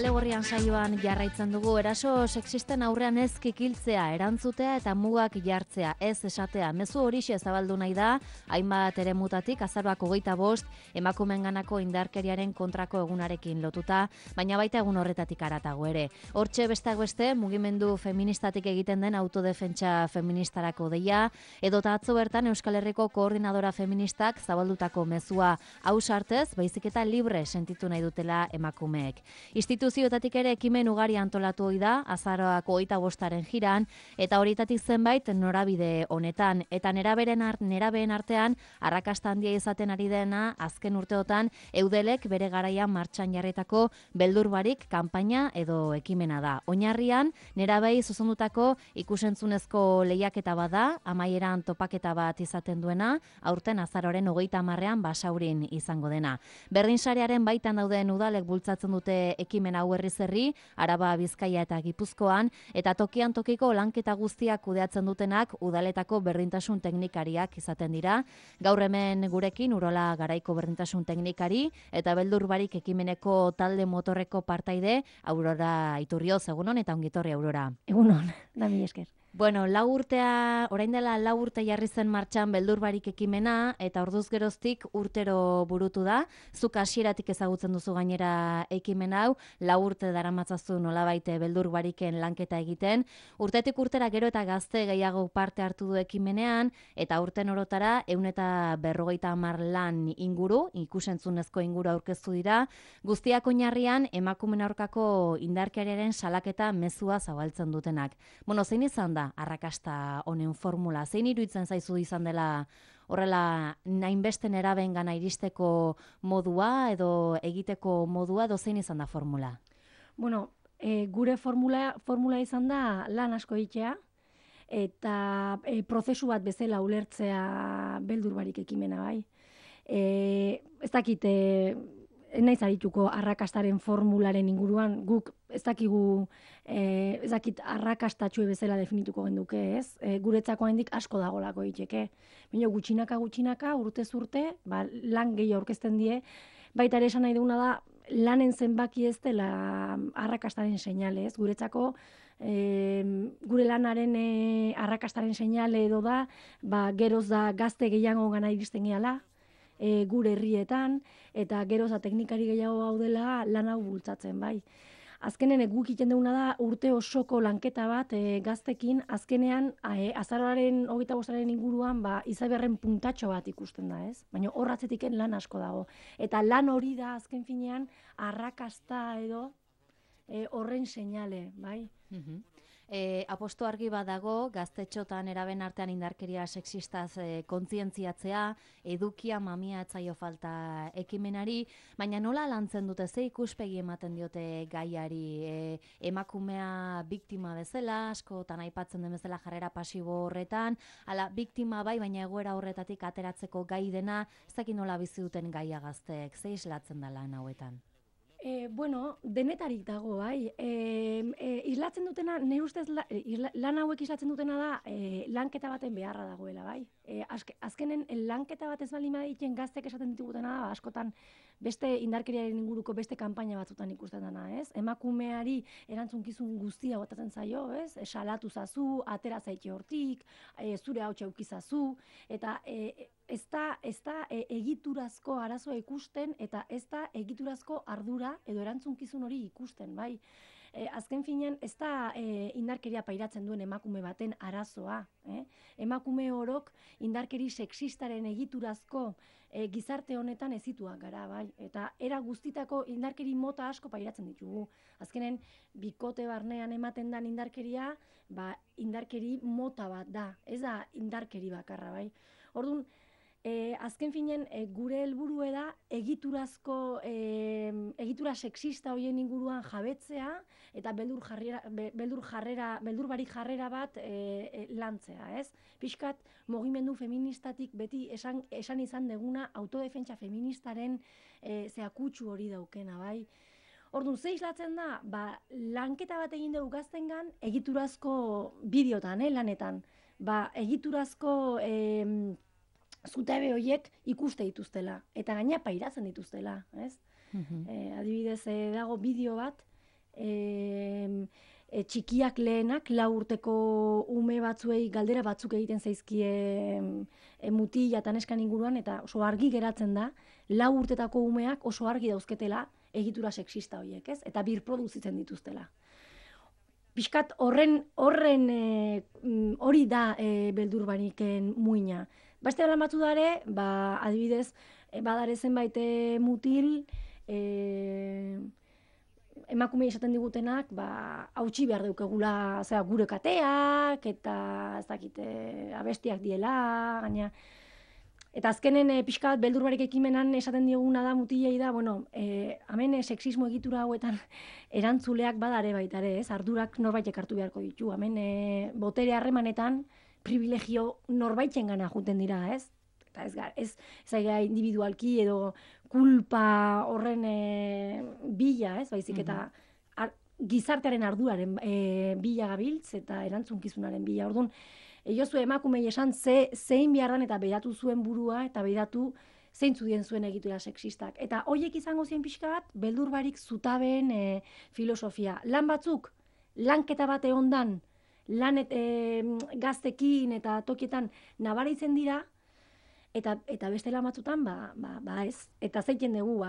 Kale Gorrian saioan jarraitzen dugu, eraso sexisten aurrean ez kikiltzea, erantzutea eta mugak jartzea, ez esatea. Mezu horixe zabaldu nahi da, hainbat eremutatik, azaroak 25, emakumeenganako indarkeriaren kontrako egunarekin lotuta, baina baita egun horretatik haratago ere. Hortxe besteak beste, mugimendu feministatik egiten den autodefentsa feministarako deia, edota atzo bertan Euskal Herriko koordinadora feministak zabaldutako mezua ausartez, baizik eta libre sentitu nahi dutela emakumeek. Instituzioetatik ere ekimen ugari antolatu ohi da, azaroak 25-aren jiran, eta horietatik zenbait norabide honetan. Eta nerabeen artean, arrakasta handia izaten ari dena, azken urteotan, Eudelek bere garaian martxan jarritako beldurbarik kanpaina edo ekimena da. Oinarrian, nerabei zuzendutako ikusentzunezko lehiaketa bada, amaieran topaketa bat izaten duena, aurten azaroren 30ean Basaurin izango dena. Berdinsarearen baitan dauden udalek bultzatzen dute ekimen hau herri, Araba, Bizkaia eta Gipuzkoan, eta tokian tokiko lanketa guztiak kudeatzen dutenak udaletako berdintasun teknikariak izaten dira. Gaur hemen gurekin Urola Garaiko berdintasun teknikari eta beldurbarik ekimeneko talde motorreko partaide Aurora Iturrioz, egunon eta ongitorri Aurora. Egunon, da mi esker. Bueno, orain dela 4 urte jarri zen martxan beldurbarik ekimena, eta orduz geroztik urtero burutu da. Zuk hasieratik ezagutzen duzu gainera ekimen hau, 4 urte daramatzazu nolabait beldurбariken lanketa egiten. Urtetik urtera gero eta gazte gehiago parte hartu du ekimenean, eta urten orotara 150 lan inguru, ikusentzunezko inguru aurkeztu dira, guztiak oinarrian emakumeen aurkako indarkeriaren salaketa mezua zabaltzen dutenak. Bueno, zein izan da arrakasta honen formula? Zein iruditzen zaizu izan dela horrela hainbeste nerabengana iristeko modua edo egiteko modua, edo zein izan da formula? Bueno, gure formula izan da lan asko egitea eta prozesu bat bezala ulertzea beldurbarik ekimena bai. Ez dakit, naiz arituko arrakastaren formularen inguruan, guk ez dakigu, ez dakit arrakastatxue bezala definituko genduke, ez? Guretzako handik asko dagolako egiteke. Baina gutxinaka, urtez urte, lan gehi aurkezten die, baita ere esan nahi duguna da, lanen zenbaki ez dela arrakastaren seinale, ez? Guretzako, gure lanaren arrakastaren seinale edo da, geroz da gazte gehiago gana iristen gehala, gure herrietan, eta geroza teknikari gehiago gaudela lan hau bultzatzen, bai. Azkenen guk egiten duguna da urte osoko lanketa bat gaztekin, azkenean azaroaren 25-aren inguruan izaberren puntatxo bat ikusten da, ez? Baina horratzetik lan asko dago. Eta lan hori da azken finean arrakasta edo horren seinale, bai? Aposto argi badago, gaztetxotan eraben artean indarkeria sexistaz kontzientziatzea, edukia mamia etzaio falta ekimenari, baina nola lantzen dute, ze ikuspegi ematen diote gaiari, emakumea biktima bezala, askotan aipatzen den bezala jarrera pasibo horretan, ala biktima bai, baina egoera horretatik ateratzeko gai dena, ez dakit nola bizi duten gaia gazteek, ze islatzen da lan hauetan? Bueno, denetarik dago, bai. Islatzen dutena, nire ustez lan hauek islatzen dutena da lanketa baten beharra dagoela, bai. Azkenen lanketa bat ez baldin baditen gaztek esaten ditugutena da, askotan beste indarkeriaren inguruko beste kanpaina batzutan ikusten dena, ez? Emakumeari erantzunkizun guztia botatzen zaio, ez? Salatu zazu, atera zaite hortik, zure hautsa eukizazu, eta ez da egiturazko arazoa ikusten, eta ez da egiturazko ardura edo erantzunkizun hori ikusten, bai. Azken finean, ez da indarkeria pairatzen duen emakume baten arazoa. Emakume orok indarkeri sexistaren egiturazko gizarte honetan ezituak gara, bai. Eta era guztitako indarkeri mota asko pairatzen ditugu. Azkenen, bikote barnean ematen den indarkeria, indarkeri mota bat da. Ez da indarkeri bakarra, bai. Orduan, azken finen, gure helburua da egitura sexista horien inguruan jabetzea eta beldurbarik jarrera bat lantzea, ez? Pixkat, mugimendu feministatik beti esan izan deguna autodefentsa feministaren zeakutsu hori daukena, bai? Orduan, ze islatzen da, lanketa bat egin dugu gaztengan egiturazko bideotan, lanetan. Egiturazko zutabe horiek ikuste dituztela, eta gaina pairatzen dituztela, ez? Adibidez, dago bideo bat, txikiak lehenak, 4 urteko ume batzuei galdera batzuk egiten zaizkie mutila eta neskan inguruan, eta oso argi geratzen da, 4 urtetako umeak oso argi dauzketela egitura sexista horiek, ez? Eta birproduzitzen dituztela. Piskat hori da beldur baniken muina. Beste lan batzu dare, adibidez, badare zenbait mutil, emakume esaten digutenak, hautsi behar daukagula gure kateak, eta ez dakite abestiak diela, gaina. Eta azkenen pixka bat beldur barik ekimenan esaten dioguna da, mutilei da, hemen sexismo egitura hauetan erantzuleak badare baitare, ez? Ardurak norbaitek hartu beharko ditu. Hemen botere harremanetan privilegio norbaiten gana juten dira, ez? Eta ez individualki edo kulpa horren bila, ez? Baizik eta gizartearen arduraren bila gabiltz eta erantzunkizunaren bila. Orduan, Jozu emakumei esan zein behar dan eta behiratu zuen burua eta behiratu zeintzu dien zuen egitura sexistak. Eta horiek izango zien pixka bat, beldur barik zutabeen filosofia. Lan batzuk, lanketa bat egondan, lan gaztekin eta tokietan nabaritzen dira, eta beste lan batzutan, ez. Eta zeiten dugu,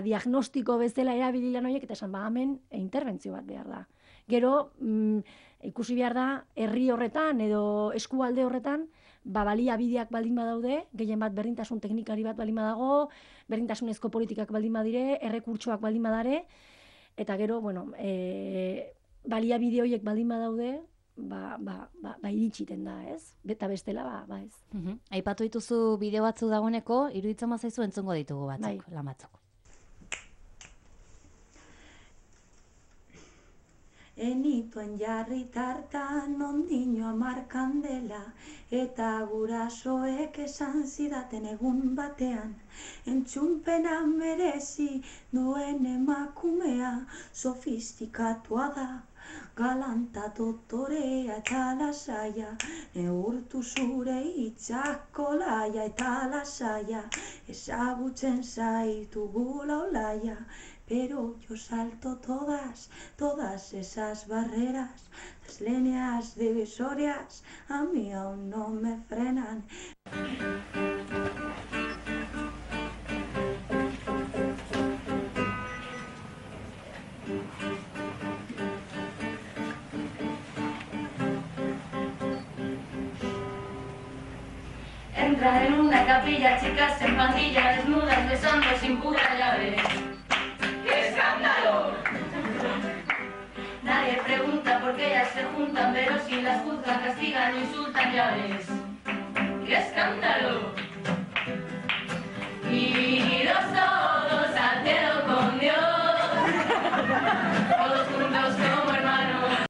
diagnostiko bezala erabili lan horiek, eta esan, hemen interbentzio bat behar da. Gero, ikusi behar da, herri horretan edo eskualde horretan, baliabideak baldin badaude, gehien bat berdintasun teknikari bat baldin badago, berdintasunezko politikak baldin badire, errekurtsoak baldin badare, eta gero, baliabide horiek baldin badaude, iritsiten da, ez? Eta bestela, ez. Aipatu dituzu bideo batzu dagoeneko, iruditzen bazaizu entzungo ditugu batzuk, lan batzuk. Enituen jarri tartan ondino 10 kandela, eta gurasoek esan zidaten egun batean, entzunpena merezi duen emakumea, sofistikatua da, galanta dotorea eta lasaia, neurtu zure hitzak kolaia eta lasaia, ezagutzen zaitu gula olaia, pero yo salto todas esas barreras, las líneas divisorias a mí aún no me frenan. Entra en una capilla, chicas en pandilla, desnudas, besando sin pura llave. ¡Qué escándalo! Nadie pregunta por qué ellas se juntan, pero si las juzgan, castigan, insultan, ya ves. ¡Qué escándalo! Idos todos al cielo con Dios, todos juntos como hermanos.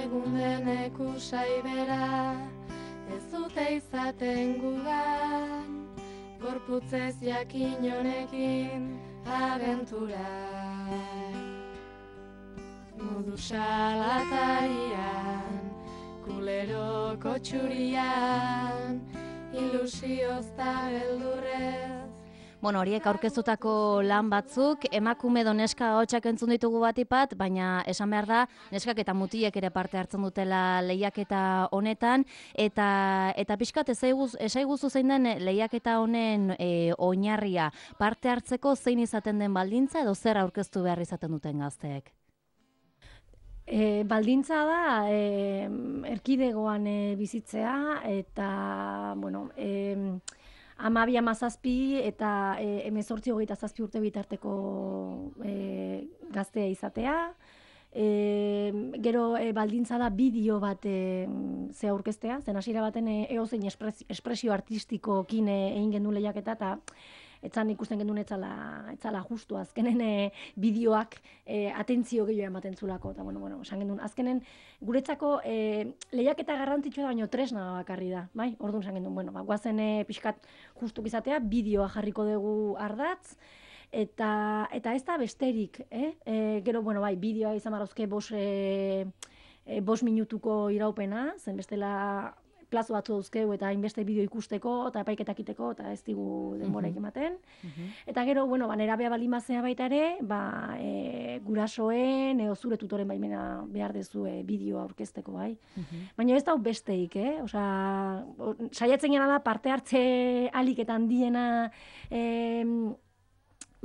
Egun denek usai bera, ez dute izaten gugan, gorputzez jakin honekin abentura. Modu salatarian, kuleroko txurian, ilusioz da beldurrez. Horiek aurkeztutako lan batzuk, emakume edo neska ahotsak entzun ditugu batipat, baina esan behar da, neskak eta mutilek ere parte hartzen dutela lehiaketa honetan, eta pixkat esaiguzu zein den lehiaketa honen oinarria, parte hartzeko zein izaten den baldintza edo zer aurkeztu behar izaten duten gazteek? Baldintza da, erkidegoan bizitzea, eta, 12-17 eta 18-27 urte bitarteko gaztea izatea. Gero baldintza da bideo bat ze aurkeztea, zen hasiera baten eozein espresio artistikokin egin gendu lehiaketa, eta etzan ikusten gendun etzala justu, azkenen bideoak atentzio gehiago ematen zulako, eta esan gendun, azkenen guretzako lehiaketa garrantzitsua da, baino tresna bakarri da, bai? Orduan esan gendun, guazen pixkat justuk izatea, bideoa jarriko dugu ardatz, eta ez da besterik, gero, bideoa izan marrozke 5 minutuko iraupena, zen bestela plazo batzu dauzkeu eta hainbeste bideo ikusteko eta epaiketak iteko eta ez digu denboraik ematen. Eta gero, bueno, nerabea balimazea baita ere, gurasoen edo zure tutoren baimena behar dezue bideoa aurkezteko, bai. Baina ez da besteik, Osea, saiatzen gana da parte hartze aliketan diena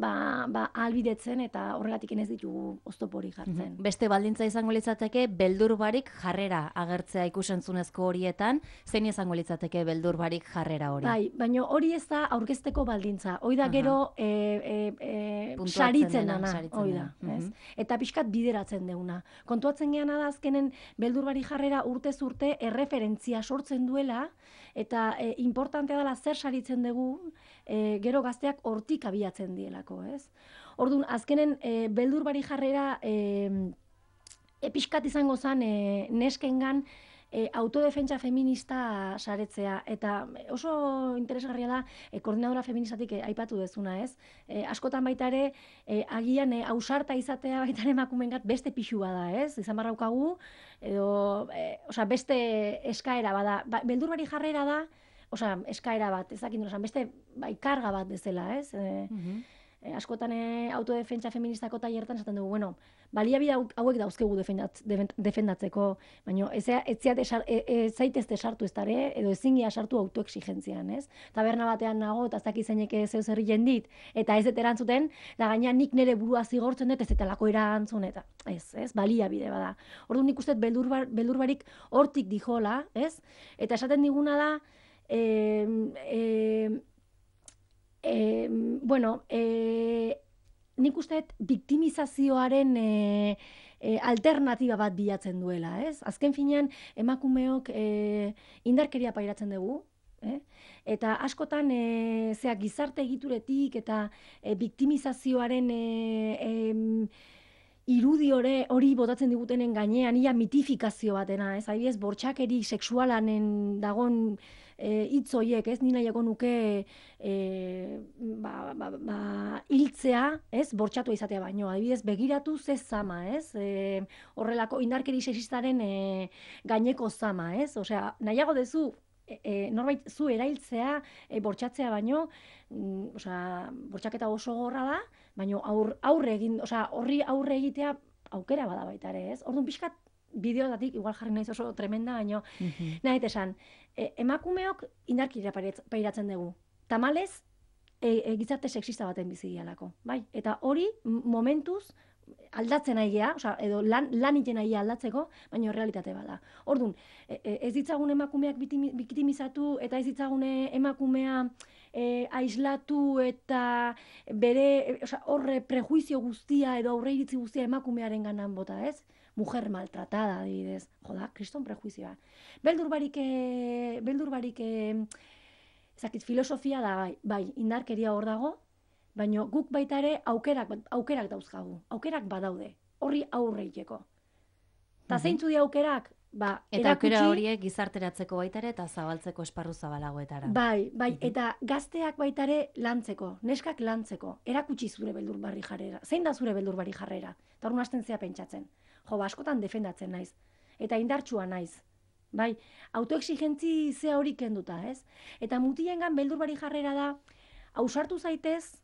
ahalbidetzen eta horregatik ez ditugu oztoporik jartzen. Beste baldintza izango litzateke beldur barik jarrera agertzea ikusentzunezko horietan, zein izango litzateke beldur barik jarrera hori? Bai, baina hori ez da aurkezteko baldintza. Hoi da gero saritzen dana, hoi da. Eta pixkat bideratzen deuna. Kontuatzen geana da azkenen beldur barik jarrera urtez urte erreferentzia sortzen duela eta importantea dela zer saritzen dugu, gero gazteak hortik abiatzen dielako, ez? Orduan, azkenen beldur barik jarrera pixkat izango zen neskengan autodefentsa feminista saretzea, eta oso interesgarria da koordinadora feministatik aipatu dezuna, ez? Askotan baita ere, agian ausarta izatea baita ere emakumeengat beste pixua da, ez? Izan barraukagu, edo, beste eskaera bada. Beldur barik jarrera da, eskaera bat, ez dakit nola, beste karga bat bezala, ez? Askotan autodefentsa feministako tailertan esaten dugu, bueno, baliabide hauek dauzkegu defendatzeko, baina ez zaitezte sartu ez dara, edo ezingia sartu autoexigentzian, ez? Taberna batean nago, eta ez dakit zeinek zeu zerri jendit, eta ez dut erantzuten, eta gaina nik nire burua zigortzen dut, ez eta lako erantzun, eta ez, baliabide bada. Orduan nik uste beldur barik hortik dijola, ez? Eta esaten diguna da, nik uste biktimizazioaren alternatiba bat bilatzen duela, ez? Azken finean, emakumeok indarkeria pairatzen dugu, eta askotan gizarte egituretik eta biktimizazioaren irudi hori botatzen digutenen gainean, ia mitifikazio batena, ez? Adibidez, bortxakeri sexualanen dagon hitz horiek, ez? Ni nahiago nuke hiltzea, ez? Bortxatua izatea baino. Adibidez, begiratu ze zama, ez? Horrelako indarkeri sexistaren gaineko zama, ez? Osea, nahiago dezu norbait zu erailtzea, bortxatzea baino, bortxaketa oso gorra da, baino horri aurre egitea aukera bada baita ere, ez? Orduan pixkat bideotatik, igual jarri naiz oso tremenda, baino, nahi esan, emakumeok indarkeria pairatzen dugu. Tamalez, gizarte sexista baten bizi dialako, bai? Eta hori momentuz aldatzen nahi gea, edo lan iten nahi aldatzeko, baina realitate bada. Orduan, ez ditzagun emakumeak biktimizatu eta ez ditzagun emakumea aislatu eta bere horre prejuizio guztia edo aurreiritzi guztia emakumearen ganan bota, ez? Mujer maltratada, adibidez. Joda, kriston prejuizioa. Beldur barik filosofia da, bai, indarkeria hor dago, baina guk baita ere aukerak dauzkagu, aukerak badaude, horri aurre egiteko. Eta zeintzu di aukerak? Eta aukera horiek gizarteratzeko baita ere eta zabaltzeko esparru zabalagoetara. Bai, eta gazteak baita ere lantzeko, neskak lantzeko, erakutsi zure beldur barri jarrera. Zein da zure beldur barri jarrera? Eta hori hasten zea pentsatzen. Askotan defendatzen naiz, eta indartsua naiz. Bai, autoexigentzi zea hori kenduta, ez? Eta mutilengan beldur barri jarrera da, ausartu zaitez,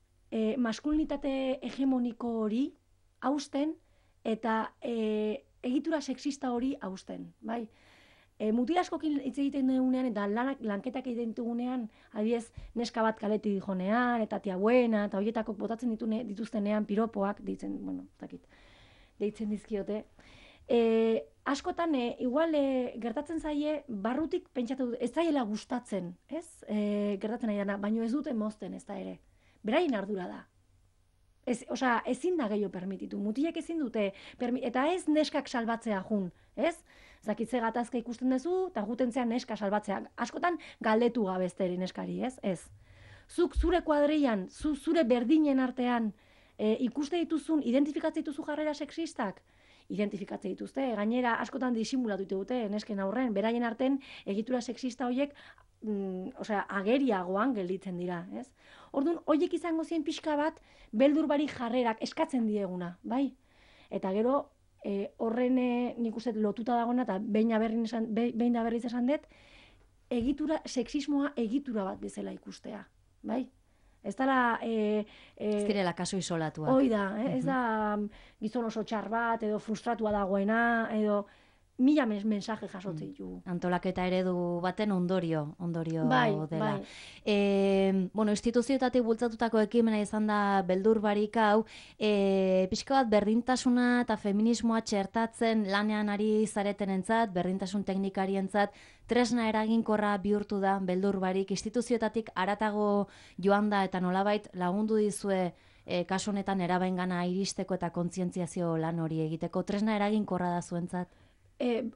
maskulinitate hegemoniko hori hausten eta egitura sexista hori hausten, bai? Mutil askokin hitz egiten dugunean eta lanketak egiten dugunean, adibidez, neska bat kaletik dijonean, eta tia buena, eta horietako botatzen dituztenean piropoak, deitzen dizkiote. Askotan, igual gertatzen zaie, barrutik pentsatu dut, ez zaiela gustatzen, ez? Gertatzen nahi dana, baino ez dute mozten ez da ere. Beraien ardura da. Ezin da gehiago permititu. Mutilek ezin dute, eta ez neskak salbatzea jun, ez? Zakitze gatazka ikusten duzu, eta jutentzean neska salbatzea. Askotan galdetu gabezteri neskari, ez? Ez. Zuk zure kuadrian, zure berdinen artean, ikuste dituzun, identifikatzen dituzu jarrera sexistak, identifikatzen dituzte. Gainera, askotan disimulatu dute nesken aurren, beraien arten egitura sexista horiek ageriagoan gelditzen dira, ez? Orduan, horiek izango zien pixka bat, beldur barik jarrerak eskatzen dieguna, bai? Eta gero, horren nik uste lotuta dagoena, eta behin da berriz esan dut, sexismoa egitura bat bezala ikustea, bai? Ez dela... Ez direla kaso isolatuak. Hoi da, ez da gizon oso txar bat, edo frustratua dagoena, edo mila mensaje jasotzen ditugu. Antolaketa eredu baten ondorio Bai, dela. bai. Bueno, instituzioetatik bultzatutako ekimena izan da beldur barik hau, pixka bat berdintasuna eta feminismoa txertatzen lanean ari zaretenentzat, berdintasun teknikarientzat, tresna eraginkorra bihurtu da beldur barik, instituzioetatik haratago joan da eta nolabait lagundu dizue kasu honetan erabaingana iristeko eta kontzientziazio lan hori egiteko, tresna eraginkorra da zuentzat?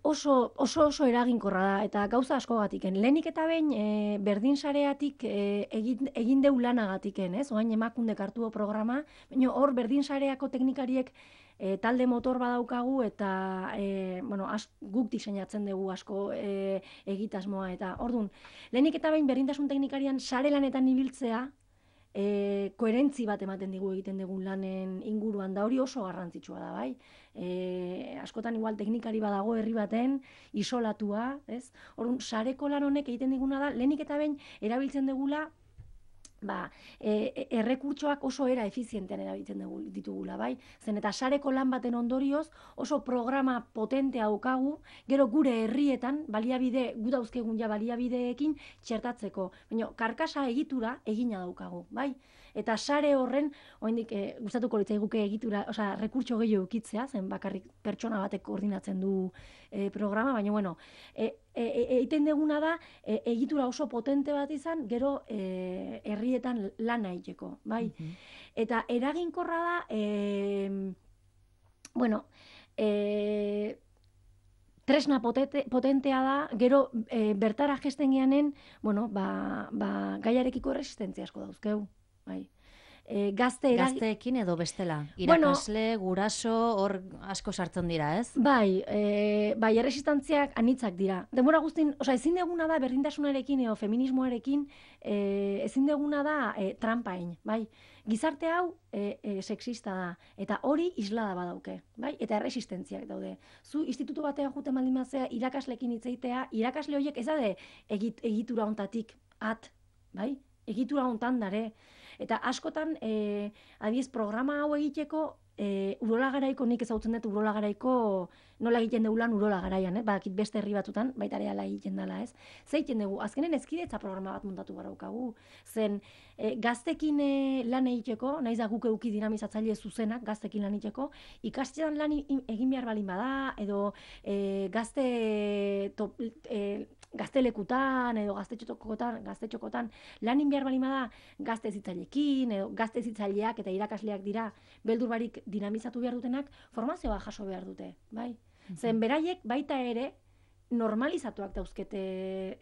Oso eraginkorra da, eta gauza askogatiken. Lehenik eta behin berdin sareatik egin deu lanagatiken, ez? Oain Emakundek hartu programa, baina hor berdin sareako teknikariek talde motor badaukagu eta guk diseinatzen dugu asko egitasmoa. Eta ordun, lehenik eta behin berdintasun teknikarian sare lanetan ibiltzea, koherentzi bat ematen digu egiten dugun lanen inguruan, da hori oso garrantzitsua da, bai? Askotan igual teknikari badago herri baten, isolatua, ez? Orduan, sareko lan honek egiten diguna da, lehenik eta behin erabiltzen dugula, errekurtsoak oso era efizientean erabiltzen ditugula, bai? Zen eta sareko lan baten ondorioz oso programa potentea daukagu, gero gure herrietan baliabide, gu dauzkegun ja baliabideekin txertatzeko. Baina karkasa egitura egina daukagu, bai? Eta sare horren, oraindik gustatuko litzaiguke egitura, osea, rekurtso gehiago edukitzea, zen bakarrik pertsona batek koordinatzen du programa, baina bueno, egiten duguna da egitura oso potente bat izan, gero herrietan lana egiteko, bai? Eta eraginkorra da, tresna potentea da, gero bertara jesten geanen, gaiarekiko erresistentzia asko dauzkeu. Bai. Gazteekin edo bestela? Irakasle, guraso, hor asko sartzen dira, ez? Bai, erresistantziak anitzak dira. Denbora guztin, ezin deguna da berdintasunarekin edo feminismoarekin, ezin deguna da trampain, bai? Gizarte hau sexista da, eta hori islada badauke, bai? Eta erresistentziak daude. Zu institutu batean juten baldin bazea, irakaslekin hitzeitea, irakasle horiek ez da egitura hontatik bai? Egitura hontan dare. Eta askotan, adiez, programa hau egiteko, Urola Garaiko, nik ezagutzen dut Urola Garaiko nola egiten dugu lan Urola Garaian, badakit beste herri batutan, baita ere ala egiten dela, ez? Zeiten dugu, azkenen ezkidetza programa bat montatu baraukagu, zen gaztekin lan egiteko, naiz da guk eduki dinamizatzaile zuzenak gaztekin lan egiteko, ikastetxean lan egin behar balin bada, edo gaztelekutan edo gaztetxokotan lanin behar balin bada gazte hezitzaileekin edo gazte hezitzaileak eta irakasleak dira beldur barik dinamizatu behar dutenak, formazioa jaso behar dute, bai? Zen beraiek baita ere normalizatuak dauzkete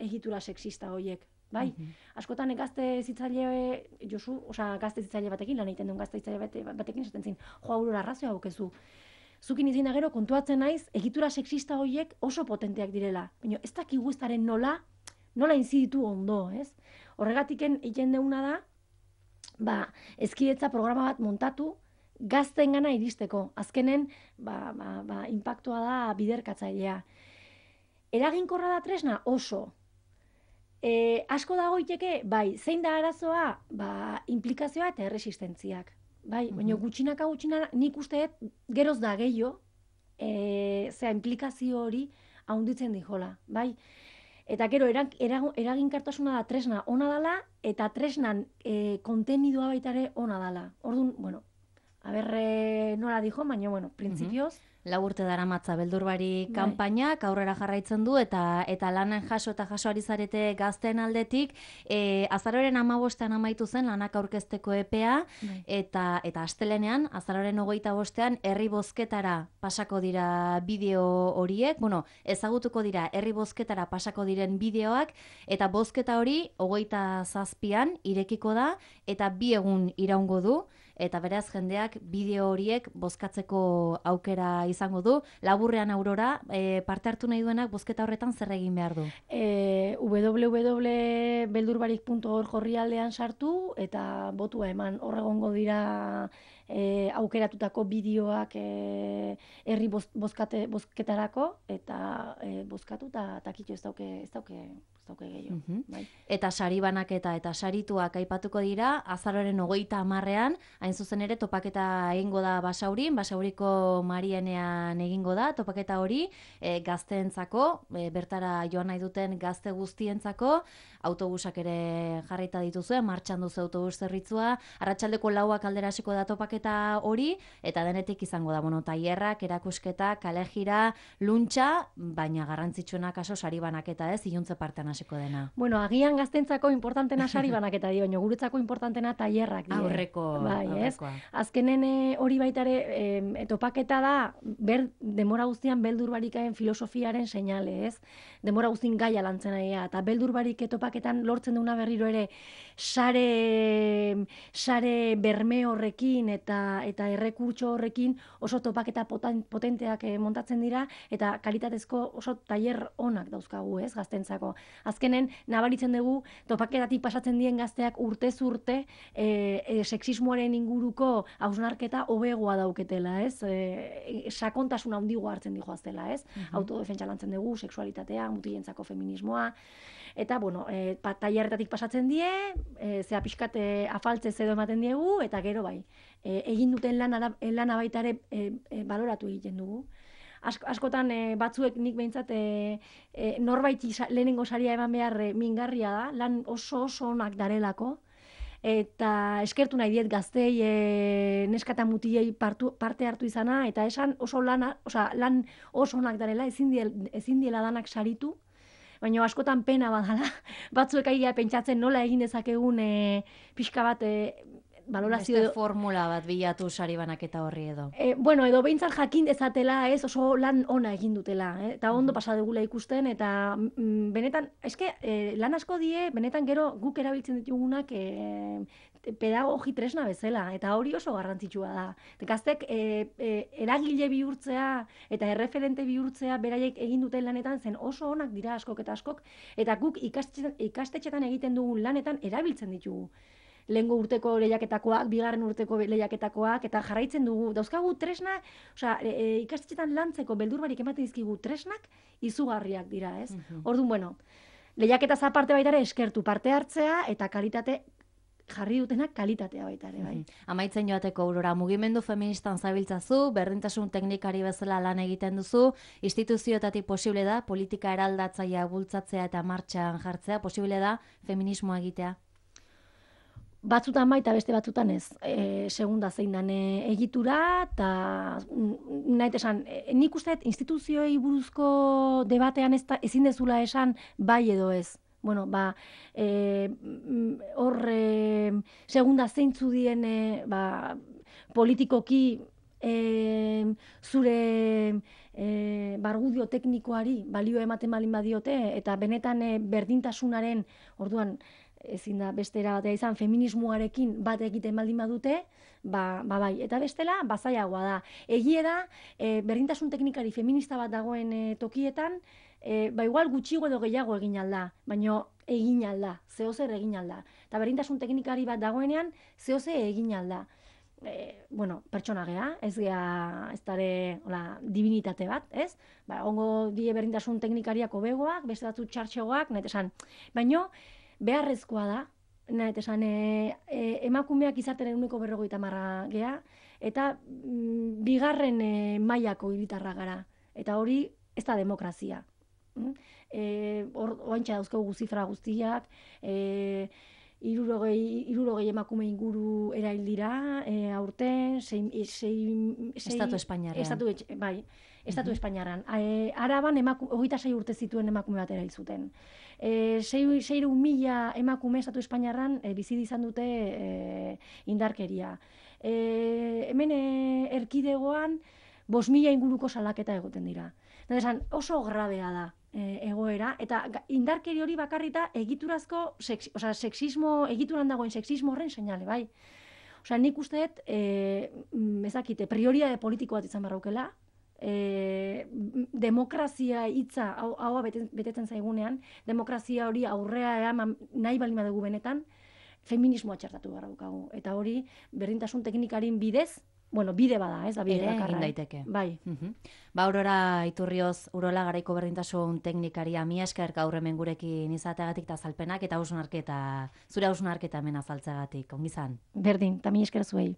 egitura sexista horiek, bai? Askotan gazte hezitzaile gazte hezitzaile batekin lan egiten duen gazte hezitzaile batekin esaten zin, Aurora arrazoia daukezu. Zukin izin da gero kontuatzen naiz, egitura sexista horiek oso potenteak direla. Baina ez dakigu eztaren nola inziditu ondo, ez? Horregatiken egiten deuna da, hezkidetza programa bat montatu, gazteengana iristeko. Azkenen, inpaktua da biderkatzailea. Eraginkorra da tresna oso. Asko dagoiteke, bai, zein da arazoa, implikazioa eta erresistentziak. Bai, baina gutxinaka nik usteet geroz da gehiago, implikazio hori haunditzen dijola, bai? Eta gero, eraginkartasuna da tresna ona dela, eta tresnan kontenidua baitare ona dela. Orduan, nola dijo, baina, printzipioz. 4 urte daramatza beldur barik kanpainak aurrera jarraitzen du eta lanen jaso ari zarete gazteen aldetik. Azaroaren 15ean amaitu zen lanak aurkezteko epea eta astelenean, azaroaren 25ean herri bozketara pasako dira bideo horiek, ezagutuko dira herri bozketara pasako diren bideoak eta bozketa hori 27an irekiko da eta 2 egun iraungo du. Eta beraz jendeak bideo horiek bozkatzeko aukera izango du. Laburrean, Aurora, parte hartu nahi duenak bozketa horretan zer egin behar du? www.beldurbarik.org orrialdean sartu eta botua eman. Hor egongo dira aukeratutako bideoak herri bozketarako, eta bozkatu eta kitxo ez dauke gehiago. Bai. Eta sari banaketa eta sarituak aipatuko dira, azaroaren 30ean, hain zuzen ere topaketa egingo da Basauriko Marienean egingo da, topaketa hori gazteentzako, bertara joan nahi duten gazte guztientzako, autobusak ere jarrita dituzue, martxan duzu autobus zerbitzua, arratsaldeko 4 aldera hasiko da topaketa hori, eta denetik izango da, tailerrak, erakusketa, kalejira, luntxa, baina garrantzitsuena kaso sari banaketa ez, iluntze partean hasiko dena. Bueno, agian gaztentzako importantena sari banaketa dio, baina guretzako importantena tailerrak dira. Aurrekoa. Azkenen hori baitare topaketa da, demora guztian beldur barikaen filosofiaren seinale, ez? Demora guztien gaia lantzen aia, eta beldur barik topaketan lortzen duna berriro ere sare berme horrekin eta errekurtso horrekin oso topaketa potenteak montatzen dira, eta kalitatezko oso tailer onak dauzkagu, ez, gaztentzako. Azkenen, nabaritzen dugu, topaketatik pasatzen dien gazteak urtez urte sexismoaren inguruko hausnarketa hobegoa dauketela, ez? Sakontasun handigoa hartzen dijoaztela, ez? Autodefentsa lantzen dugu, sexualitatea, mutilentzako feminismoa, eta, tailerretatik pasatzen die, zea pixkat afaltze edo ematen diegu, eta gero bai, egin duten lana baita ere baloratu egiten dugu. Askotan batzuek nik behintzat norbaiti lehenengo saria eman behar mingarria da, lan oso onak darelako, eta eskertu nahi diet gaztei neska eta mutilei parte hartu izana, eta esan oso lan oso onak darela, ezin diela danak saritu, baina askotan pena badala, batzuek aia pentsatzen nola egin dezakegun pixka bat balorazio... Beste formula bat bilatu sari banaketa horri edo. Edo behintzat jakin dezatela, ez, oso lan ona egin dutela, eta ondo pasa dugula ikusten, eta benetan, lan asko die, benetan gero guk erabiltzen ditugunak pedagogi tresna bezala, eta hori oso garrantzitsua da. Gaztek eragile bihurtzea eta erreferente bihurtzea beraiek egin duten lanetan zen oso onak dira askok, eta guk ikastetxetan egiten dugun lanetan erabiltzen ditugu. Lehengo urteko lehiaketakoak, bigarren urteko lehiaketakoak, eta jarraitzen dugu. Dauzkagu tresna, ikastetxetan lantzeko beldurbarik ematen dizkigu tresnak izugarriak dira, ez? Orduan, lehiaketaz aparte baita ere eskertu parte hartzea eta kalitate jarri dutenak kalitatea baita ere, bai. Amaitzen joateko, Aurora, mugimendu feministan zabiltzazu, berdintasun teknikari bezala lan egiten duzu, instituzioetatik posible da, politika eraldatzaia bultzatzea eta martxan jartzea, posible da, feminismoa egitea? Batzutan bai eta beste batzutan ez. Segunda zein dan egitura, eta nahi esan, nik uste instituzioei buruzko debatean ezin dezula esan bai edo ez. Segunda zeintzu dien politikoki zure bargudio teknikoari balio ematen balin badiote, eta benetan berdintasunaren, orduan, ezin da beste erabatea izan feminismoarekin bat egiten baldin badute, bai. Eta bestela, bazaiagoa da. Egie da, berdintasun teknikari feminista bat dagoen tokietan, igual gutxigo edo gehiago egin alda, baina egin alda, zehozer egin alda. Eta berdintasun teknikari bat dagoenean, zehoze egin alda. Pertsona gea, ez dare divinitate bat, ez? Ongo die berdintasun teknikariak hobegoak, beste batzu txartxegoak, nahi esan. Baina, beharrezkoa da, nahi esan, emakumeak izaten 50% gea, eta bigarren mailako hiritarra gara. Eta hori ez da demokrazia. Oantxa dauzkagu zifra guztiak, 60 emakume inguru erail dira, aurten, Estatu Espainiarrean. Estatu Espainiarrean. Araban 26 urte zituen emakume bat erail zuten. 6.000 emakume Estatu Espainiarrean bizi izan dute indarkeria. Hemen erkidegoan 5.000 inguruko salaketa egoten dira. Oso grabea da egoera, eta indarkeri hori bakarrita egiturazko, egituran dagoen sexismo horren seinale, bai. Nik usteet, ezakite, prioridade politiko bat izan barraukela, demokrazia hitza haua betetzen zaigunean, demokrazia hori aurrea nahi balima dugu benetan, feminismoa txertatu behar daukagu. Eta hori, berdintasun teknikarin bidez, bueno, bide bada, ez da bide Ere bakarra. egin daiteke. Bai. Ba, Aurora Iturrioz, Urola Garaiko berdintasun teknikaria, mila esker gaur hemen gurekin izateagatik eta azalpenak eta zure hausnarketa hemen azaltzeagatik. Ongi izan. Berdin, eta mila esker zuei.